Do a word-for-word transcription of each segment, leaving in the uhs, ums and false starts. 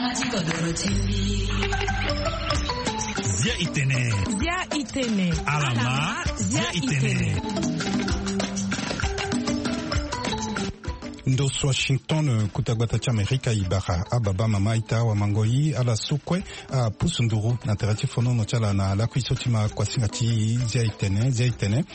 Zia itene. Zia itene. Alama. Zia itene. Ndo so Washington, kuta gbata ti Amerika, e bara ababa mama ita wamangoi ala so kue apusu nduru na tere ti fonono ti ala na lakui so ti ma kuasinga ti Zia itene. Zia itene,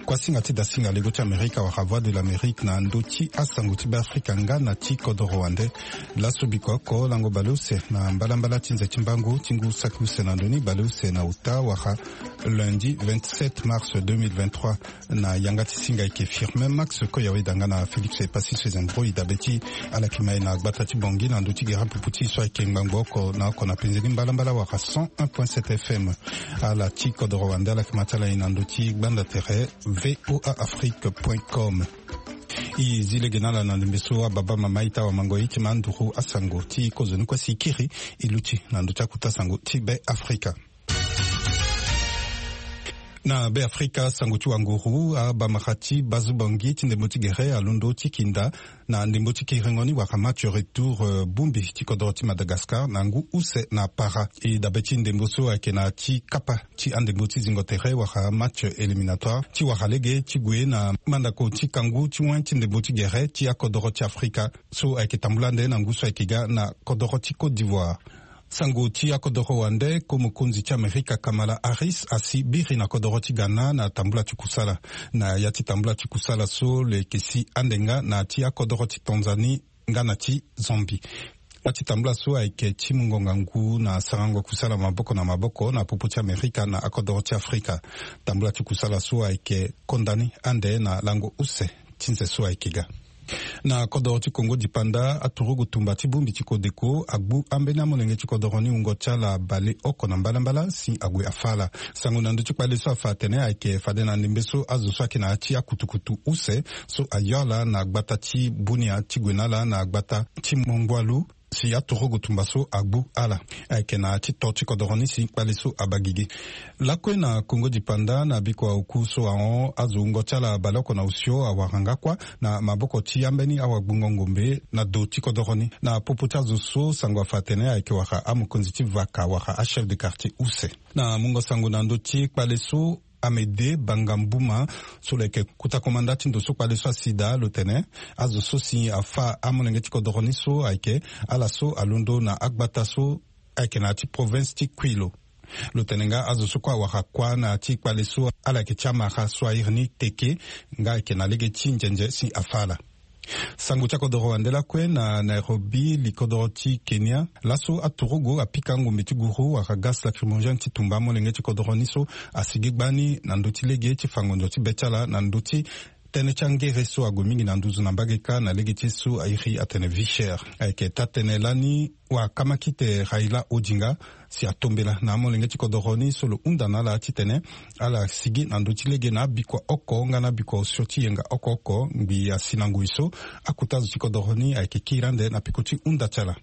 kuasinga ti dasinga lego ti Amerika wala Voix de l'Amérique na ndö ti asango ti Beafrika nga na ti kodoro wande. Laso biko oko lango baleuse na mbalambala ti nze ti mbangu ti ngu saki use na ndö ni, baleuse na ota wala lundi vingt-sept mars deux mille vingt-trois. Na yanga ti singa eke Firmin Max Koyaweda nga na Félix Epassi Sezembro e dabe ti ala yeke ma e na gbata ti Bangui na ndö ti gere pupu ti e so ayeke ngbangbo oko na oko na penze ni mbalambala wala cent un point sept F M. Ala ti kodoro wande ala yeke ma ti ala e na ndö ti gbanda tere V O A Afrique point com. E zi lege na ala na ndembe so ababa mama ita wamangoi ti ma nduru asango ti kozoni kue si e kiri e luti na ndö ti akuta sango ti Beafrika. Na Beafrika, sango ti wanguru, abamara ti Bazubangi ti ndembo ti gere alondo ti kinda na ndembo ti kiringo ni wala match retour, eh, bongbi ti kodoro ti Madagascar na ngu use na para. E dabe ti ndembo so ayeke na ti kapa ti andembo ti zingo tere wala match éliminatoire ti wara lege ti gue na mandako ti kangu ti wen ti ndembo ti gere ti akodoro ti Afrika so ayeke tambula ande na ngu so ayeke ga na kodoro ti Côte d'Ivoire. Sango ti akodoro wande, ko mokonzi ti Amerika Kamala Harris asi biri na kodoro ti Ghana na tambula ti kusala. Na ya ti tambula ti kusala so lo yeke si ande nga na ti akodoro ti Tanzanie nga na ti Zambie. Ya ti tambula so ayeke ti mungo ngangu na sarango kusala maboko na maboko na popo ti Amerika na akodoro ti Afrika. Tambula ti kusala so ayeke konda ni ande na lango use ti nze so ayeke ga. Na kodoro ti Kongo dipanda, aturugu tumba ti bongbi ti kodeko agbu ambeni amolenge ti kodoro ni wungo ti ala baleoko na mbalambala si ague afa ala. Sango na ndö ti kpale so afa atene ayeke fade na ndembe so azo so ayeke na ya ti akutukutu use so ayo ala na gbata ti Bunia ti gue na ala na gbata ti Mongwalu, si aturugu tumba so agbu ala. Ayeke na ti to ti kodoro ni si kpale so abaa gigi. Lakue na Kongo dipanda, na bikua oku so ahon azo wungo ti ala baleoko na osio awara nga kuâ na maboko ti ambeni awagbungo ngombe na do ti kodoro ni. Na popo ti azo so sango afa atene ayeke wara amokonzi ti vaka wara achef de quartier use. Na mungo sango na ndö ti kpale so, Amédée Bangambuma, so lo yeke kuta komanda ti ndo so kpale so asi daa, lo tene azo so si afa amolenge ti kodoro ni so ayeke ala so alondo na agbata so ayeke na ya ti province ti Kouilou. Lo tene nga azo so kue awara kuâ na ya ti kpale so ala yeke ti amara so a iri ni Teke, nga ayeke na lege ti nzenze si afa ala. Sango ti akodoro wande lakue na Nairobi, li kodoro ti Kenya, laso aturugu apika ngombe ti guru wala gaz lacrymogène ti tumba amolenge ti kodoro ni so asigi gbani na ndö ti lege ti fa ngonzo ti be ti ala na ndö ti tënë ti angere so ague mingi na nduzu na mbage kâ na lege ti ye so a iri atene vie chère. Ayeke taa-tënë lani wakamakite Raila Odinga si atombela na amolenge ti kodoro ni so lo hunda na ala titene ala sigi na ndö ti lege na abikua oko nga na abikua osio ti yenga oko oko ngbii asi na ngoi so akuta zo ti kodoro ni ayeke kiri ande na peko ti hunda ti ala.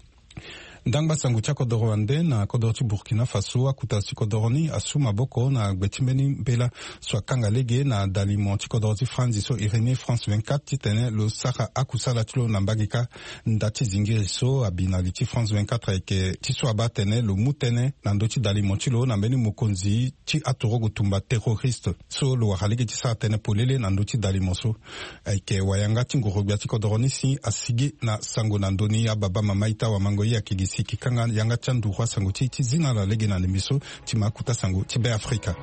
Ndangba sango ti akodoro wande, na kodoro ti Burkina Faso, akuta zo ti kodoro ni asu maboko na gbe ti mbeni mbela so akanga lege na dalimo ti kodoro ti Franzi so iri ni France vingt-quatre titene lo sara akusala ti lo na mbage kâ. Nda ti zingiri so abi na li ti France vingt-quatre ayeke ti so abaa atene lo mu tënë na ndö ti dalimo ti lo na mbeni mokonzi ti aturugu tumba terroriste so lo wara lege ti sara tënë polele na ndö ti dalimo so. Ayeke wayanga ti nguru-gbia ti kodoro ni si asigi na sango na ndö ni. Ababa mama ita wamango ye ayeke gi si e kanga yanga ti anduru asango ti e ti zi na ala lege na ndembe so ti ma akuta sango ti Beafrika.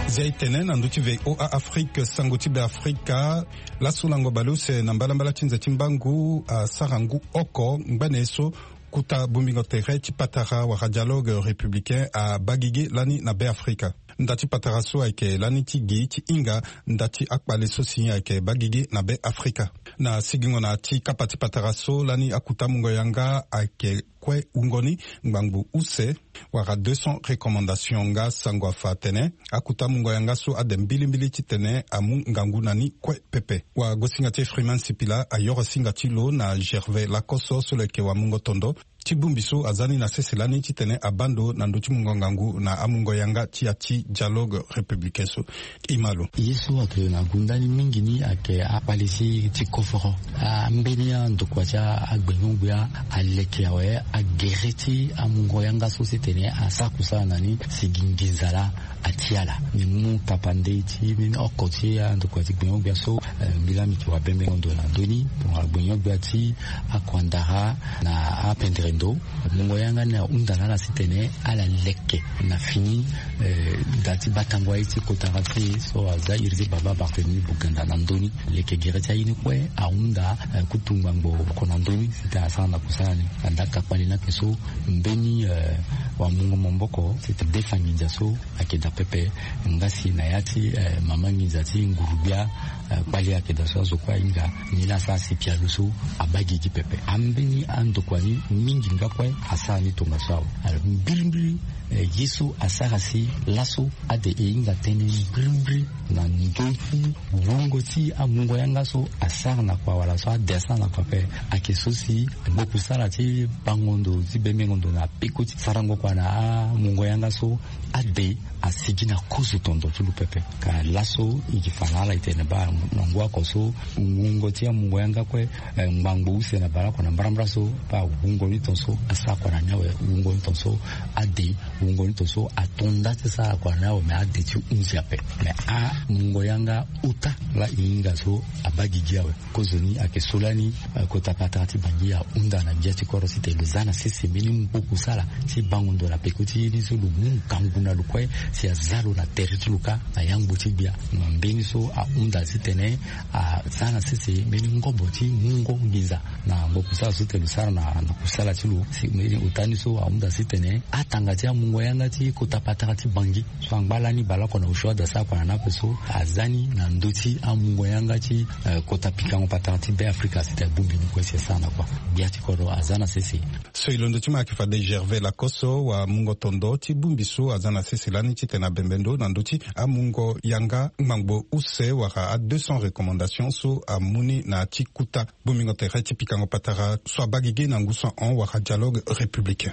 Zia e tene na ndö ti V O A Afrique, sango ti Beafrika. Laso lango baleuse na mbalambala ti nze ti mbangu asara ngu oko ngbene so kuta bongbingo tere ti patara wala dialogue républicain abaa gigi lani na Beafrika. Nda ti patara so ayeke lani ti gi ti hinga nda ti akpale so si ayeke baa gigi na Beafrika. Na sigingo na ti kapa ti patara so lani akuta mungo yanga ayeke kue wungo ni ngbangbo use wala deux cents recommandation nga sango afa atene akuta mungo yanga so ade mbilimbili titene amu ngangu na ni kue pepe. Wagosinga ti Freeman Sipila ayoro singa ti lo na Gervais Lakoso so lo yeke wamungo tondo ti bongbi so aza ni na sese lani titene abaa ndo na ndö ti mungo ngangu na amungo yanga ti ya ti dialogue républicain so. E ma lo. Ye so ayeke na gunda ni mingi ni ayeke akpale ti ti koforo. Ambeni andokua ti agbenyo-gbia aleke awe agere ti amungo yanga so titene asara kusala na ni si gi nginza laa. Ati ala ni mu tapande ti mbeni oko ti andokua ti gbenyo-gbia so. Eh, mbi laa mbi yeke wabembengo ndo na ndö ni tongana gbenyo-gbia ti akuandara na apendere ndo. Mungo yanga ni ahunda na ala titene ala leke na fini, eh, da ti batango aye ti kotara ti e so aza iri ti baba Barthélemy Boganda na ndö ni. Leke gere ti aye ni kue ahunda, eh, kutu ngbangbo oko na ndö ni titene asara na kusala ni. Anda ka kpale ni ayeke so mbeni, eh, wamungo maboko titene adefa nginza so ayeke daa pepe. Nga si na ya ti, eh, mama nginza ti nguru-gbia, eh, kpale ayeke daa so azo kue ahinga ni laa asara si pialo so abaa gigi pepe. Ambeni andokua ni mingi nga kue asara ni tongaso awe. Alors mbirimbiri, eh, ye so asara si laso ade e hinga tënë mbirimbiri na ndö ti wungo ti amungo yanga so asara na kua wala so ade asara na kua ape. Ayeke so si gbokusala ti bango ndo ti bembengo ndo na peko ti sarango kua na amungo yanga so ade asigi na kozo tondo ti lo pepe. Ka laso e yeke fa na ala e tene baa na ngu oko so wungo ti amungo yanga kue, eh, ngbangbo use na baleoko na mbarambara so baa wungo ni ton so asara kua na ni awe. Wungo ni ton so ade, wungo ni ton so ato nda ti sara kua na ni awe me ade ti hunzi ape. Me amungo yanga ota laa e hinga so abaa gigi awe. Kozoni ayeke so lani, eh, kota patara ti Bangui ahunda na gbia ti kodro titene lo za na sese mbeni ngbo kusala ti bango ndo na peko ti ye ni so lo mu ngangu na lo kue si aza lo na tere ti lo kâ na yangbo ti gbia. Na mbeni so ahunda titene aza na sese mbeni ngobo ti mungo nginza na ngbo kusala so titene lo sara na, na kusala ti lo. Si mbeni ota ni so ahunda titene atanga ti amungo yanga ti kota patara ti Bangui so angba lani baleoko na osio ade asara kua na ni ape so aza ni na ndö ti amungo yanga ti, eh, kota pikango patara ti Be Afrika si tene abongbi ni kue si asara na kua. Gbia ti kodro aza na sese. So e londo ti mo ayeke fade Gervais Lakoso wamungo tondo ti bongbi so aza na sese lani titene abembe ndo na ndö ti amungo yanga ngbangbo use wala a deux cents recommandation so amu ni na ya ti kuta bongbingo tere ti pikango patara so abaa gigi na ngu so ahon wala dialogue républicain.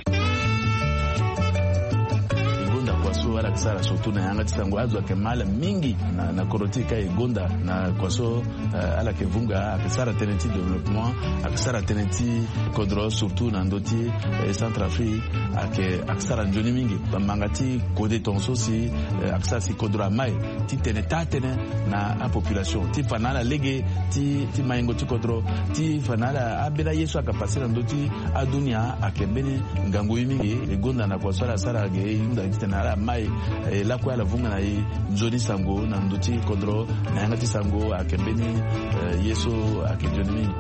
E gonda kua so ala yeke sara surtout na yanga ti sango azo ayeke ma ala mingi na, na kodro ti e ka e gonda na kua so, eh, ala yeke vunga ayeke sara tënë ti développement, ayeke sara tënë ti kodro surtout na ndö ti, eh, Centrafrique. Ayeke, ayeke sara nzoni mingi. Bamanga ti kode tongaso si, eh, ayeke sara si kodro amai ti tene taa tënë na apopulation ti fa na ala lege ti, ti maingo ti kodro ti fa na ala ambeni aye so ayeke pase na ndö ti adunia ayeke mbeni ngangu ye mingi. E gonda na kua so ala sara ge e hunda titene ala mai, eh, lakue ala vunga na e nzoni sango na ndö ti kodro na yanga ti sango ayeke mbeni, eh, ye so ayeke nzoni mingi.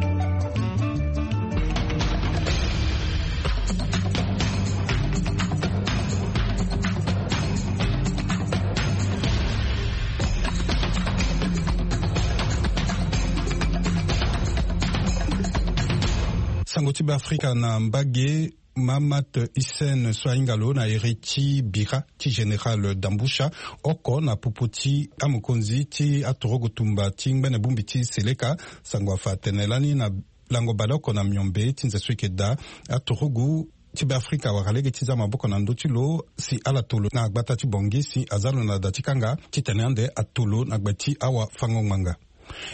Sango ti Beafrika na mbage. Mahamat Hissène so ahinga lo na iri ti bira ti général Damboucha oko na popo ti amokonzi ti aturugu tumba ti ngbene bongbi ti Seleka, sango afa atene lani na lango baleoko na miombe ti nze so e yeke daa, aturugu ti Beafrika awara lege ti za maboko na ndö ti lo si ala to lo na gbata ti Bangui si aza lo na da ti kanga titene ande ato lo na gbe ti awafango-ngbanga.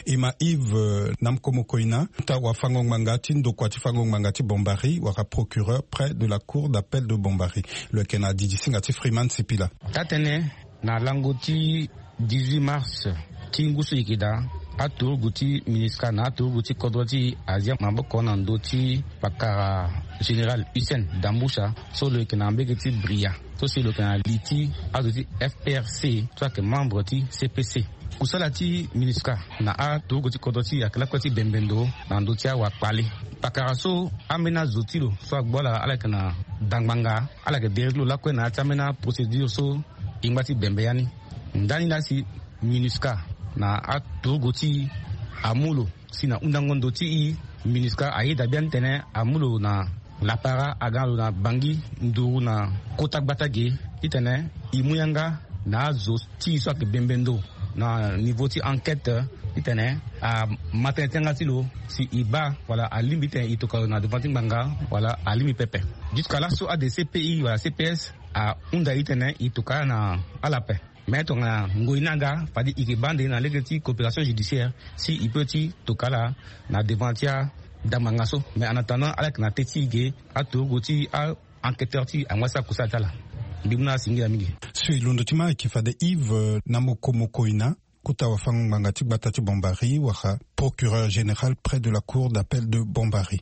E ma Yves, euh, Namko Mokoina, ota wafango-ngbanga ti ndokua ti fango-ngbanga ti Bambari wala procureur près de la cour d'appel de Bambari. Lo yeke na didisinga ti Freeman Sipila. Taa-tënë na lango ti dix-huit mars ti ngu so e yeke daa, aturugu ti MINUSCA na aturugu ti kodro ti e azi maboko na ndö ti pakara général Hissène Damboucha so lo yeke na mbage ti Bria so si lo yeke na li ti azo ti F P R C so ayeke membre ti C P C. Kusala ti MINUSCA na aturugu ti kodro ti e ayeke lakue ti bembe ndo na ndö ti awakpale. Pakara so ambeni azo ti lo so agbu ala, ala yeke na dangbanga, ala yeke derek ti lo lakue na ya ti ambeni aprocédure so e ngba ti bembe ya ni. Ndani laa si MINUSCA na aturugu ti e amu lo Si na hundango ndo ti i, minusca ayeda biani titene amu lo na lapara aga lo na bangi nduru na kota gbata ge, titene e mu yanga na azo ti e so ayeke bembe ndo na niveau ti enquête, titene ama tënë ti yanga ti lo si e baa wala alingbi titene e toka lo na devant ti ngbanga wala alingbi pepe. Jusqu'à laso ade cpi wala cps ahunda e titene e toka ala na ala ape. Mais tongana ngoi ni aga fade e yeke baa ande na lege ti coopération judiciaire si e peut ti toka ala na devant ti adamanga so. Mais en attendant ala yeke na te ti e ge, aturugu ti a-enquêteur ti e angba sara kusala ti ala. Mbi mu na ala singila mingi. So e londo ti ma ayeke fade Yves, euh, na moko moko ina kota wafango-ngbanga ti gbata ti Bombari wala procureur général près de la cour d'appel de Bombari.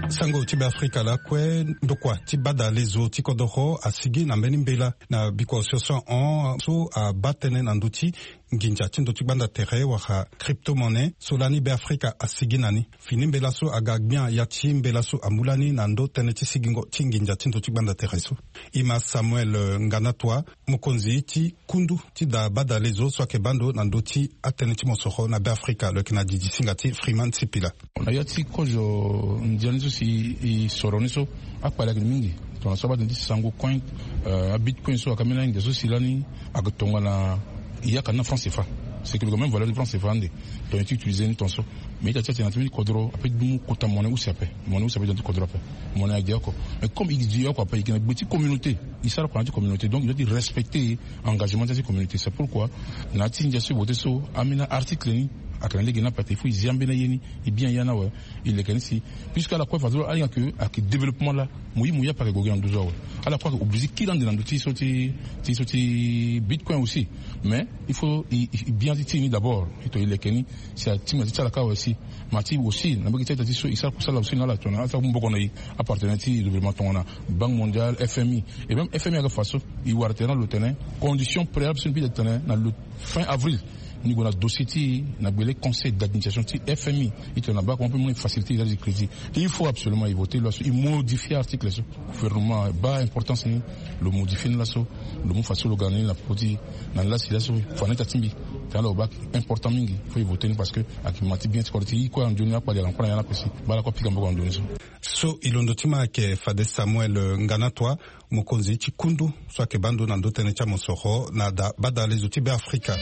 Sango ti Beafrika lakue, ndokua ti badalezo ti kodoro asigi na mbeni mbela na bikua osio so ahon so abaa tënë na ndö ti nginza ti ndö ti gbanda tere wala crypto-monnaie so lani Beafrika asigi na ni. Fini mbela so aga gbia ya ti mbela so amu lani na ndö tënë ti sigingo ti nginza ti ndö ti gbanda tere so. E ma Samuel, euh, Nganatua, mokonzi ti kundu ti da badalezo so ayeke baa ndo na ndö ti atënë ti mosoro na Beafrika, lo yeke na didi singa ti Freeman Sipila. Na ya ti kozo ndia ni so si e soro ni so, akpale ayeke mingi. Tongana so abaa tënë ti sango coin, euh, abitcoin so ayeke ambeni ange so si lani ayeke tongana e yaka ni na franc cfa. C'est que lo yeke même valeur ti franc cfa ande. Donc e ti utiliser ni tongaso. Mais ita ti atene na ti mbeni kodro ape ti dumu kota monnaie use ape. Monnaie use ape ti dumu ti kodro ape. Monnaie ade oko. Mais comme e di oko ape, e yeke na gbe ti communauté. E sara kua na ya ti communauté. Donc e doit ti respecter engagement ti ya ti communauté. C'est pourquoi na ya ti ndia so e vote so, ambeni article ni ayeke na lege ni ape, il faut e zi ambeni aye ni, e bien ya ni awe. E leke ni si, puisque ala kue fadeso alinga ke ayeke développement laa, mo ye mo ye ape ayeke gue gi na nduzu awe. Ala kue ayeke obligé kiri ande na ndö ti so ti, ti so ti bitcoin aussi. Mais il faut e, e, e bien ti ti e ni d'abord. E to e leke ni si atinga ti ti ala kâ awe si. Ma ti aussi na mbage ti aita ti so e sara kusala aussi na ala tongana ala sara maboko na e, apartenaire ti gouvernement tongana Banque Mondiale, F M I. Et même F M I ayeke fa so. E wara tene na lo tene condition préalable so mbi tene na lo fin avril, ni gue na dossier ti e na gbele conseil d'administration ti F M I. E tene na baa comment mpe mu na e facilité e za ti crédit. Il faut absolument e voter loi so, e modifier article so. Gouvernement abaa importance ni, lo modifier ni laso. Lo mu fadeso lo ga na ni na popo ti e na ni la si laso fa na ita ti mbi. Tena lo baa important mingi, faut e voter ni parce que ayeke ma ti bien ti kodro ti e. E kue anzoni akpali ayeke encore na ya ni ape si baa ala kue apika maboko na ndoni so. So e londo ti ma ayeke fade Samuel, euh, Nganatua, mokonzi ti kundu so ayeke baa ndo na ndö tënë ti amosoro na da badalezo ti Beafrika.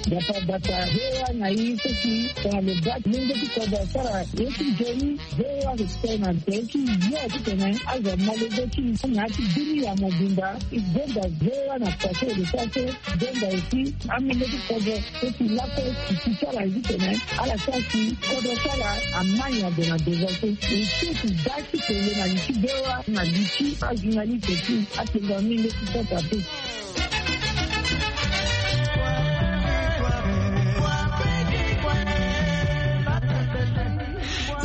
Gbata gbata, V O A na e so si tongana lo baa ti lenge ti kodro asara ye ti nzoni, V O A ayeke tene na tere ti yo titene azo amolenge ti e na ya ti bini ya mobimba. E gonda V O A na pase lo sara so, gonda aussi amolenge ti kodro so si lakue e si ti ala ye titene ala sara si kodro ti ala ama nyango na devant so. E si e si baa ti tene na li ti V O A na li ti ajournaliste ti atengo amolenge ti kodro ape.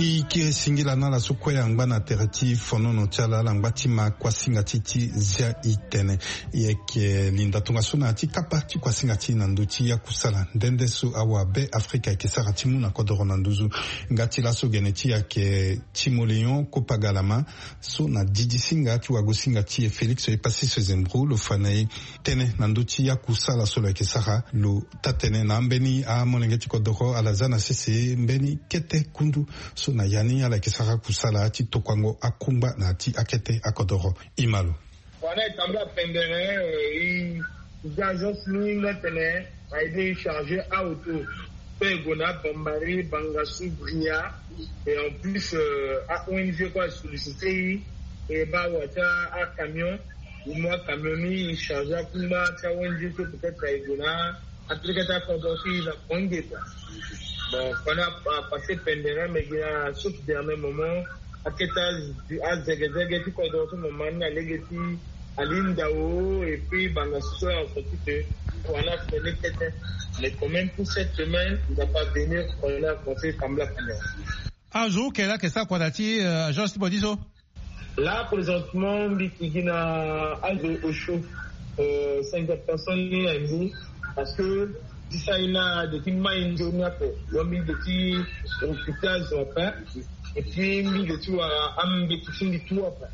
E kiri singila na ala so kue angba na tere ti fonono ti ala, ala ngba ti ma kuasinga ti ti zia e tene. E yeke linda tongaso na ya ti kapa ti kuasinga ti e na ndö ti yakusala nde nde so awabe Afrika ayeke sara ti mu na kodoro na nduzu. Nga ti laso gene ti e ayeke Timoléon Kopagalama, so na didisinga ti wagosinga ti e Félix Epassis Zembrou lo fa na e tënë na ndö ti yakusala so lo yeke sara. Lo taa-tënë na ambeni amolenge ti kodoro ala za na sese mbeni kete kundu so na ya ni ala yeke sara kusala ti tokuango akungba na ya ti akete akodoro. E ma lo. Wala e tambula pendere, eh, e za agence ni nga tene a aidé e charger aauto. Pe e gue na Bambari, Bangassou, Bria. Et en plus, euh, a-ONG kue a sollicité e, e baa wa ti acamion. E mu acamion ni e charger akungba ti a-ONG so, peut-être e gue na Afrika ti akodro ti e na Bangui quoi. Bon, pendant a passé pendere, mais gi na sauf dernier moment, akete azegezege ti kodro so mo ma ni na lege ti ali ndao, et puis Bangassou so arencontre que Koana fene kete. Mais quand même pour cette semaine, il va pas venir Koana conseil tambula pendere. Azo hu kere ayeke sara kua na ya ti, euh, agence ti bodi so? Là, présentement, mbi yeke gi na azo osio, euh, cinquante personnes ni na mbi, parce que Ti saina de ti mai nzoni ape. Lo mbi de ti occupé azo ape. Et puis mbi de ti wara ambeti ti mbi tout ape.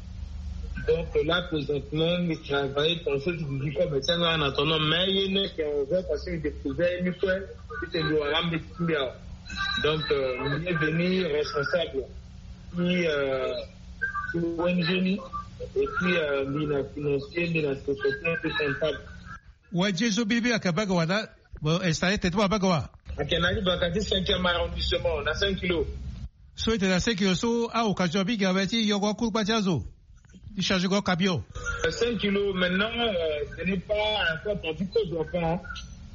Donc là présentement mbi travaille pensé ti didi kobe ti anga na tono mais ye ne ke en vrai parce que mbi découvert mbi kue. Mbi te mbi wara ambeti ti mbi awa. Donc euh, mbi est venu responsable ti euh, ti O N G ni. Et puis euh, mbi na financier mbi na secrétaire mbi comptable. Wa Jésus bibi aka baga wana. Bon, installé tete mo abaga wa. Ake na ni baka ti cinquième arrondissement na cinq kilos. So ete na cinq kilos so a occasion mingi awe ti yongo akuru kpa ti azo ti charge go camion. Cinq kilos maintenant euh, ce n'est pas un peu ton petit peu d'enfant.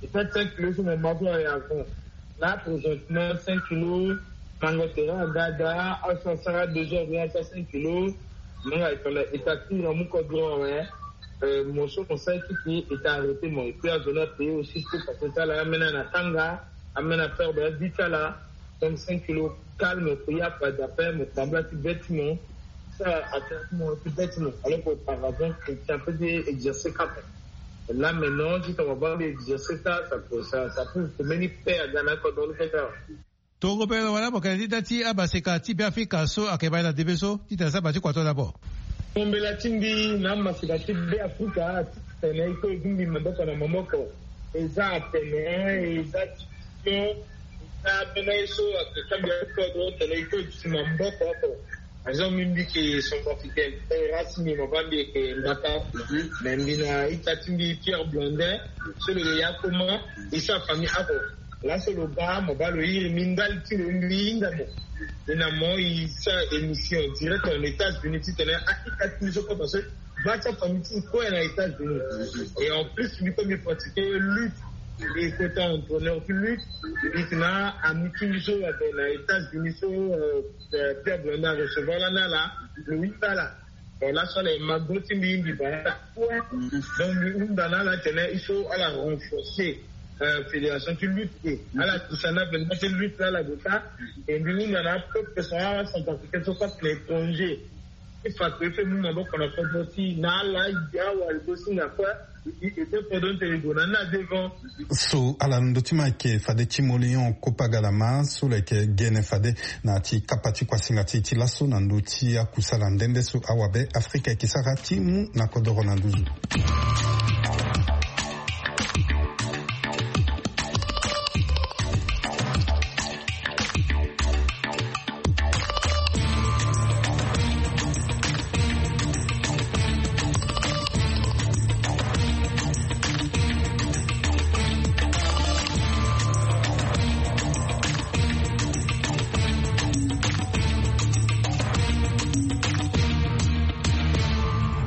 Et ça cinq kilos sur mon bateau et avant là présentement cinq kilos. Mango tere agada aso asara deux heures bien asa cinq kilos. Manga etala etati na mu kodro awe. Mo so mo sara ti ti e ta arrêté mo et puis azo na paye aussi pour parce que ti ala amena na tanga amena faire bela di ti ala. Donc cinq kilos calme ko ya pas d'appel mo tambula ti bête mo. Ça atteint mo ti bête mo alors que auparavant chrétien peut dire exercer cap. Là maintenant ti tongana baa mbi exercer ça ça peut ça ça peut meni paix aga na kodro ni fait ça. Tongo pe wala mo kena ti da ti amaseka ti Beafrika so ayeke baa na debe so titene asara baa ti kua to dabo. Tombela ti mbi na amaseka ti Beafrika titene e kue e gingbi maboko na maboko. Eza atene eza ti mission eza ambeni aye so ayeke kambia ti kodro tene e kue e duti maboko oko. Azo mbi mbi yeke centrafricain. Race mbi mo baa mbi yeke mbata. Mais mbi na ita ti mbi Pierre Blondin so lo yeke ya koma e sara famille oko. Laso lo baa mo baa lo iri mbi ndali ti lo mbi hinga mo. E na mo e sara émission direct en États-Unis titene a ita ti mbi so kota so baa ti afamille ti mbi kue na États-Unis. Et en plus mbi kue mbi pratique lutte. E kota entraîneur ti lutte. Mbi yeke na ami ti mbi so ape na États-Unis so euh, Pierre Blondin arecevoir lani ala. Lo hinga ala. Bon laso ala e ma go ti mbi mbi baa ala kue. Donc mbi hunda na ala tene il faut ala renforcer euh, fédération ti lutte e ala dusa na benda ti lutte la ala gue sara. E mbi hunda na apeuple so acentrafricain so kue na étranger ti fa kue e fait mu maboko na kodro ti na ala e gi awa e go singa kue. E gi e te kodro ni tene e gue na ni na devant. So ala na ndö ti ma ayeke fade ti molion kopa galama so lo yeke gene fade na ti kapa ti kuasinga ti e ti laso na ndö ti akusala nde nde so awabe Afrika ayeke sara ti mu na kodoro na nduzu.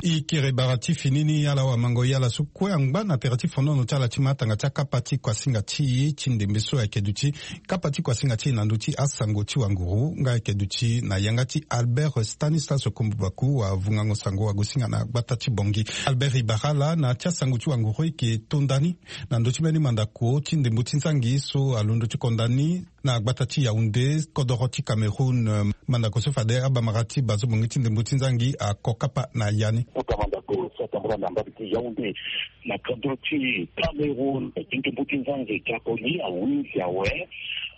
E kere bara ti fini ni ala wamango ye ala so kue angba na tere ti fonono ti ala ti matanga ti akapa ti kuasinga ti e ti ndembe so ayeke duti kapa ti kuasinga ti e na ndö ti asango ti wanguru nga ayeke duti na yanga ti Albert Stanislas Kombubaku wavungango sango wagosinga na gbata ti Bongi. Albert e bara ala na ya ti asango ti wanguru e yeke to nda ni na ndö ti mbeni mandako ti ndembo ti nzangi so alondo ti konda ni na gbata ti Yaoundé kodoro ti Cameroun. Mandako so fade abamara ti bazo bongi ti ndembo ti nzangi ako kapa na ya ni. Kota mandako so atambula na mbage ti Yaoundé na kodro ti Cameroun gi ndembo ti nzangi ti ako ni awinzi awe.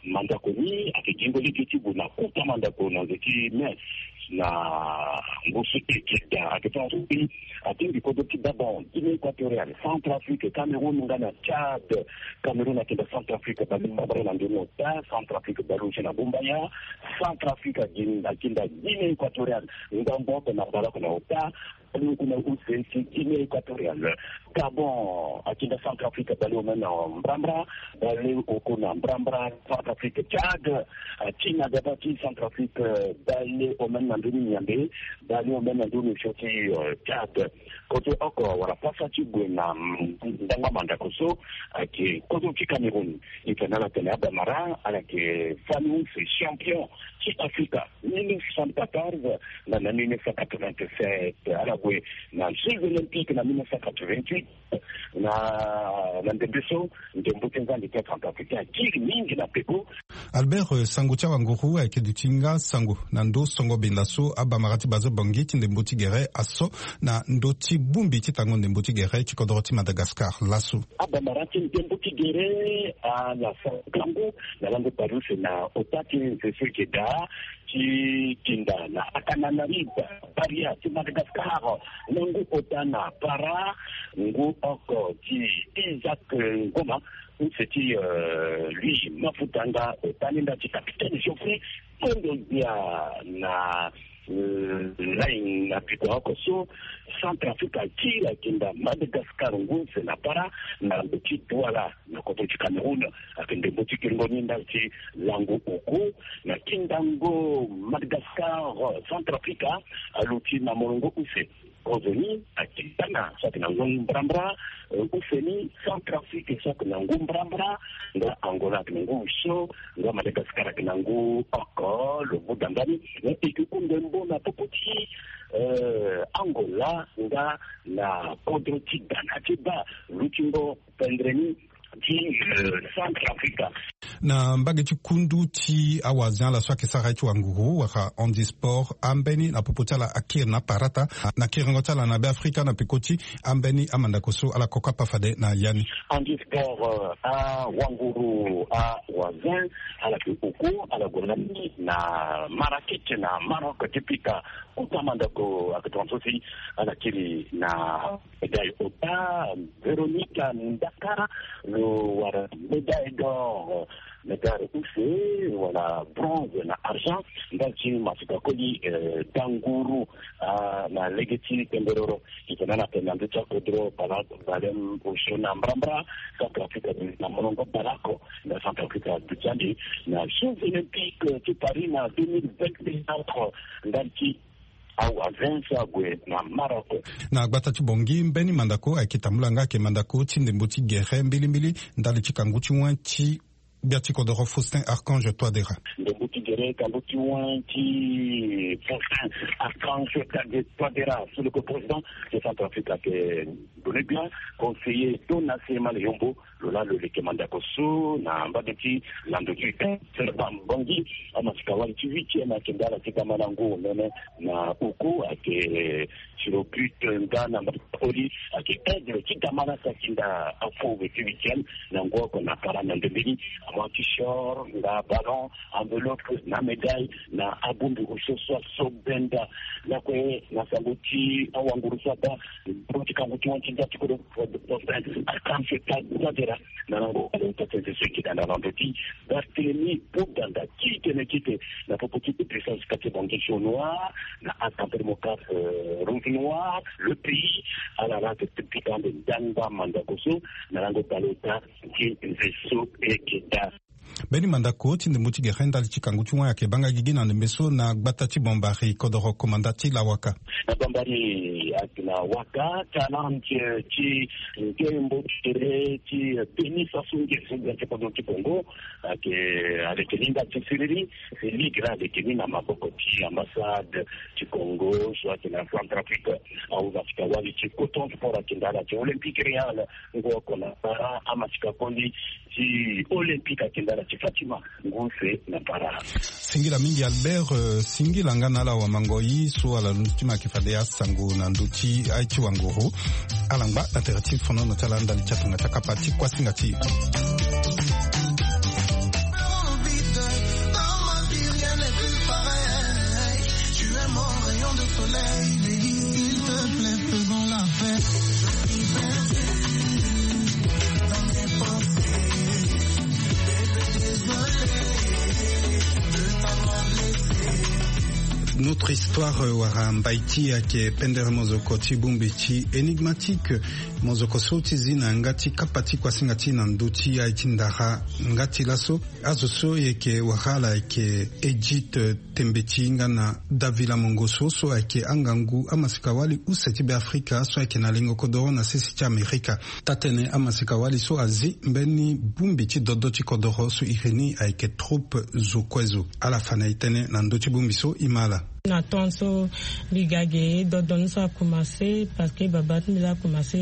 Mandako ni ayeke gi ngoli ge ti gue na kota mandako na nze ti messe na ngu so eke daa ayeke ti na so mbi atingbi kodro ti Gabon, Guinée Équatoriale, Centrafrique, Cameroun nga na Tchad. Cameroun akinda Centrafrique baleoko na ndoni ota, Centrafrique baleoko na gumbaya. Centrafrique akinda Guinée Équatoriale ndambo oko na baleoko na ota. Baleoko na use ti Guinée Équatoriale. Gabon akinda Centrafrique baleoko na mbrambra. Baleoko na mbrambra Centrafrique. Tchad atina gaba ti Centrafrique baleoko na ndoni nyambe. Baleoko na ndoni osio ti Tchad. Kozo oko wala pasa ti gue na ndangba mandako so ayeke kozo ti Cameroun. E tene ala tene abamara ala yeke fani use champion ti Afrika mille neuf cent quatorze na na mille neuf cent quatre-vingt-sept. Ala Na jeux olympique na mille neuf cent quatre-vingt-huit, na ndembe so ndembo ti nzangi ti acentrafricain akiri mingi na peko. Albert, sango ti awanguru ayeke duti nga sango na ndo songo benda so abamara ti bazo bongi ti ndembo ti gere aso na ndo ti bongbi ti tango ndembo ti gere ti kodoro ti Madagascar laso. Abamara ti ndembo ti gere ala sango na lango pariuse na ota ti nze so eke daa ti tinda na Antananarivo, Paria ti Madagascar, na ngu ota na para ngu oko ti Isaac Ngoma, use ti lui Mafuta nga ota ni nda ti capitaine Geoffrey Kondogbia na line na piko oko so Centrafrique akiri akinda Madagascar ngu use na para na ndo ti Douala na kodro ti Cameroun. Ayeke ndembo ti kiringo ni ndali ti lango oku na kindango Madagascar. Centrafrique aluti na molongo use. Kozo ni ayeke ghana so ayeke na ngu mbrambra. Use ni Centrafrique so ayeke na ngu mbrambra. Nga Angola ayeke na ngu so, nga Madagascar ayeke na ngu oko lo buda ndani. Eke ku ndembo na popo ti Angola nga na kodro ti ghana ti baa lutingo pendre ni ti Centrafrique. Na mbage ti kundu ti awazen ala so ayeke sara ye ti wanguru wala handisport ambeni na popo ti ala akiri na parata na kiringo ti ala na Beafrika na peko ti ambeni amandako so ala koko apa fade na ya ni. Handisport, awanguru awazen ala yeke oku ala gue lani na Marrakech na Maroc ti pika kota mandako. Ayeke tongaso si ala kiri na médaille ota. Veronica Ndakara lo wara médaille d'or, médaille use wala bronze na argent ndali ti masika koli danguru na lege ti pemberoro. Ita na na pembe na ndö ti akodro bala balem osio na mbrambra. Centrafrique na molongo bala oko na Centrafrique aduti ande na Jeux Olympiques ti Paris na deux mille vingt-quatre ndali ti awazen so ague na Maroc. Na gbata ti Bangui mbeni mandako ayeke tambula nga ayeke mandako ti ndembo ti gere mbilimbili ndali ti kangu ti wen ti gbia ti kodoro Faustin Archange Touadéra. Ndembo ti gere kangu ti wen ti Faustin Archange Touadéra so lo yeke président ti Centrafrique ayeke done gbia conseiller Donatien Maleyombo. Lo laa lo leke mandako so na mbage ti lando ti week-end. Bangui amasika wali ti huitième ayeke nda ala ti gama na ngu nene na oku ayeke tiro but nga na mbage ti koli ayeke aigle ti gama na sakinda afauve ti huitième na ngu oko na para na ndembeni. Amua ti short nga ballon, enveloppe na médaille na abongbi osio so aso benda. Lakue na sango ti awanguru so ada ndembo ti kangu ti wen ti nda ti kodro Faustin Archange Touadéra na lango ota ti nze so eke daa na lando ti Barthélemy Boganda ti tene kete na popo ti Puissance Quartier Bangui Jaune Noir na Asamble Mocaf Rouge Noir Le Pays. Ala laa ayeke pika ande ndangba mandako so na lango bale ota ti nze so eke daa. Mbeni mandako ti ndembo ti gere ndali ti kangu ti wen ayeke banga gigi na ndembe so na gbata ti Bambari kodoro komanda ti Lawaka. Na Bambari ayeke na waka talent ti ndembo ti gere ti tennis aso nge so gbia ti kodro ti Congo ayeke aleke ni ndali ti siriri. Ligue laa aleke ni na maboko ti ambassade ti Congo so ayeke na Centrafrique. Ahuza asika wali ti Coton Sport ayeke nda ala ti Olympique Real ngu oko na para amasika koli ti Olympique ayeke nda ala ti Fatima ngu use na para. Singila mingi Albert. Singila nga na ala wamango-i so ala londo ti ma ayeke fade asango na ndö ti aye ti wanguru. Ala ngba na tere ti fonono ti ala ndali ti atonga ti akapa ti kuasinga ti e. Notre histoire wala mbai ti e ayeke pendere mozoko ti bongbi ti Enigmatique. Mozoko so ti zi na yanga ti kapa ti kuasinga ti e na ndö ti aye ti ndara. Nga ti laso azo so e yeke wara ala ayeke Edith Tembeti nga na Davila Mongoso so ayeke angangu amasika wali use ti Beafrika so ayeke na lengo kodoro na sese ti Amerika. Taa-tënë amasika wali so azi mbeni bongbi ti dodo ti kodoro so iri ni ayeke Troupe Zo Kue Zo. Ala fa na e tënë na ndö ti bongbi so e ma ala. Na temps so mbi ga ge, dodoni so akomanse, parce que baba ti mbi la akomanse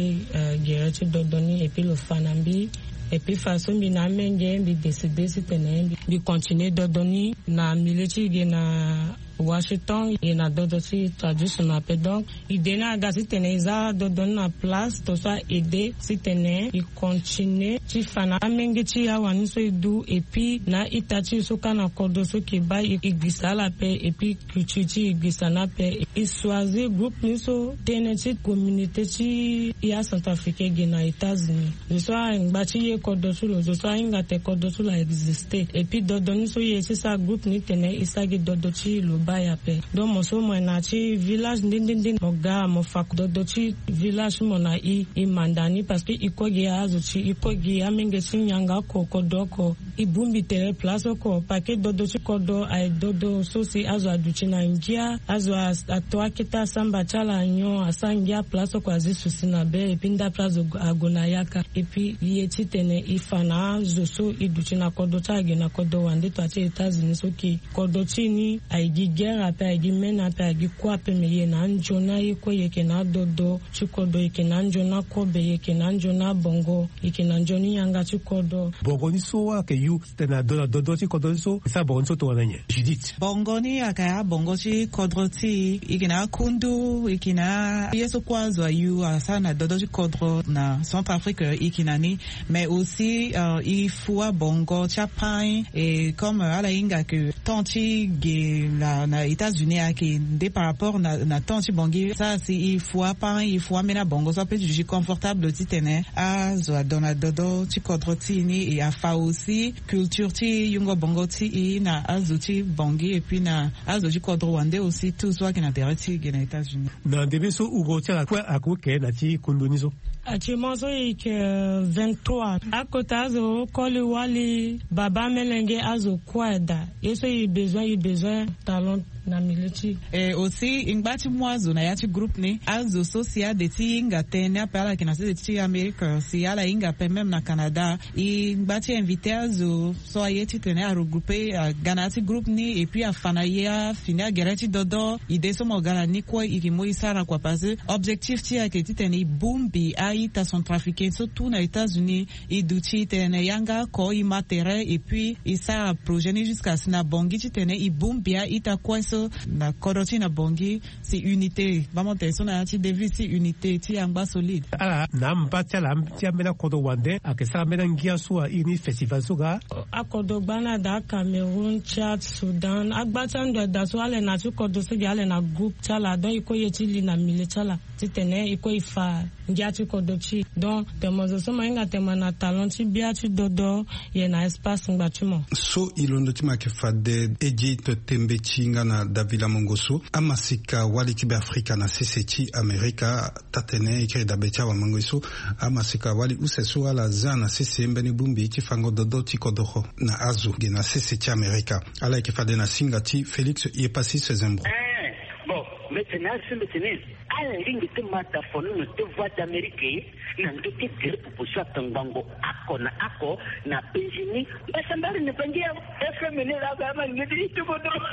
gere ti dodoni, et puis lo fa na mbi. Et puis fa so mbi na amenge, mbi décide titene mbi continue dodoni na milieu ti e ge na Washington, e na dodo ti traditionnel ape. Donc idée ni aga titene e za dodoni na place to so a aide titene e continue ti fa na amenge ti e awani so e du, et puis na ita ti e so ka na kodro so ke baa e gbisa ala ape, et puis culture ti e gbisa ni ape. E choisir groupe ni so tënë ti communauté ti e acentrafricain ge na États-Unis. Zo so angba ti ye kodro ti lo, zo so ahinga tene kodro ti lo a existe. Et puis dodoni so e ye ti sara groupe ni tene e sara gi dodo ti lo baa e ape. Donc mo so mo yeke na ya ti village nde nde nde, mo ga mo fa dodo ti village ti mo na e, e manda ni, parce que e kue gi azo ti e, e kue gi amenge ti nyangaoko, kodro oko. E bongbi tere place oko, parce que dodo ti kodro aye dodo so si azo aduti na ngia, azo a- ato akete asamba ti ala nyon, asara ngia place oko, azi susi na be, et puis ndape azo ague na yaka. Et puis e ye titene e fa na azo so e duti na kodro ti ala ge na kodro wande to ya ti États-Unis so ke kodro ti e ni aye gi guerre ape, aye gi mene ape, aye gi kue ape, me e ye na anzoni aye kue, e yeke na adodo ti kodro, e yeke na anzoni akobe, e yeke na anzoni abongo, e yeke na nzoni yanga ti kodro. Bongo ni so ayeke yu titene ado na dodo ti kodro ni so, e sara bongo ni so tongana nyen, Judith? Bongo ni ayeke abongo ti kodro ti e, e yeke na akundu, e yeke na ye so kue azo ayu asara na dodo ti kodro na Centrafrique, e yeke na ni. Mais aussi, euh, e fua bongo ti apain, et comme, euh, ala hinga ke temps ti ge na, na États-Unis ayeke nde par rapport na, na temps ti Bangui. Sara si e fua apain, e fua ambeni abongo so ape ti duti confortable titene azo adon na dodo ti kodro ti e ni, e afa aussi culture ti yungo bongo ti e na azo ti Bangui, et puis na azo ti kodro wande aussi, tout so ayeke na tere ti e ge na États-Unis. Na ndembe so Hugo ti ala kue akoke na ti kundu ni so? Actuellement so e yeke, euh, vingt-trois. Akota azo koli wali, baba, melenge, azo kue ada. Ye so e besoin, e besoin talent na milieu ti e. Et aussi e ngba ti mu azo na ya ti groupe ni. Azo so si ade ti hinga tënë ape, ala yeke na sese ti Amérique, si ala hinga ape même na Canada, e ngba ti invité azo so aye titene a regrouper, aga na ya ti groupe ni, et puis afa na e afini agere ti dodo. Idée so mo ga na ni kue e yeke mu e sara kua, parce que objectif ti e ayeke titene e bongbi a-ita centrafricain so tout na États-Unis. E duti tene yanga oko, e ma tere, et puis e sara projet ni jusqu'à si na Bangui titene e bongbi a-ita kue so na kodro ti e na Bangui. Si unité, baa mo tene so na ya ti devise ti unité ti e angba solide. Ala na amba ti ala ti ambeni akodro wande ayeke sara ambeni angia so a iri ni festival so ga? Akodro gba ni ada, Cameroun, Tchad, Soudan, agba ti ando ada so ala yeke na ya ti kodro so ge, ala yeke na groupe ti ala. Donc e kue e ye ti li na milieu ti ala titene e kue e fa ngia ti kodro ti e. Donc tene mo zo so mo hinga tene mo na talent ti bia ti dodo, e yeke na espace ngba ti mo. So e londo ti mo ayeke fade Edith Tembe ti nga na Davila Mongo so, amasika wali ti Beafrika na sese ti Amerika. Taa-tënë, e kiri dabe ti awamango ye so, amasika wali use so ala za na sese mbeni bongbi ti fango dodo ti kodoro na azo ge na sese ti Amerika. Ala yeke fade na singa ti Félix Yepasis Zembro. Eh, bon, mbi tene asi, mbi tene ala lingbi ti ma da fono na te Voix d'Amérique na ndö ti gere popo so atongbango oko na oko na penzi ni. Mbasambari ni bangi ya F M ni la ba ma ngedi ti kodoro.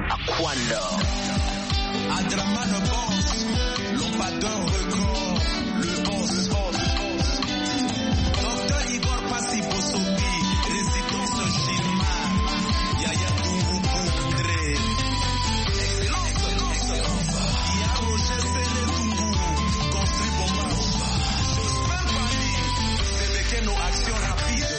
Aquanda. Adraman Boss, Lombador Record, le boss. Docteur Igor Passy Bosopi, Résidence Gilmar, Yaya Tourou Poudre. Excellence, excellence. Yaya Roger Sele Tourou, construit bombe. Jospin Paris, Bébé Keno, action rapide.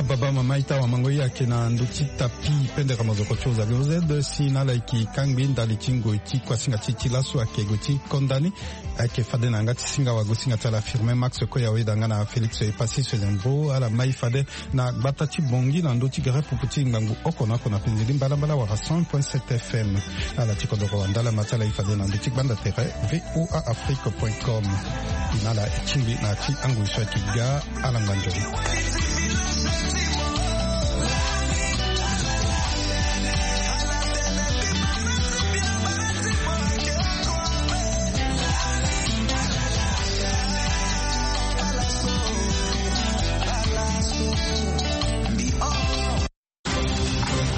Baba mama ita wamango ye ayeke na ndö ti tapi pendere mozoko ti ozali ozede si na ala yeke kangbi ndali ti ngoi ti kuasinga ti ti laso ayeke gue ti konda ni. Ayeke fade na yanga ti singa wagosinga ti ala Firmin Max Koya oyeda nga na Félix Epassis Felembo ala mai fade na gbata ti Bangui na ndö ti gere pupu ti ngangu oko na oko na penze ti mbalambala wala cent point sept F M. Ala ti kodoro wandala ma ti ala e fade na ndö ti gbanda tere V O A Afrique point com. Na ala e tingbi na ya ti angoi so ayeke ga. Ala ngba nzoni.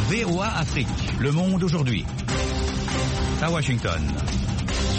V O A Afrique, le monde aujourd'hui. À Washington.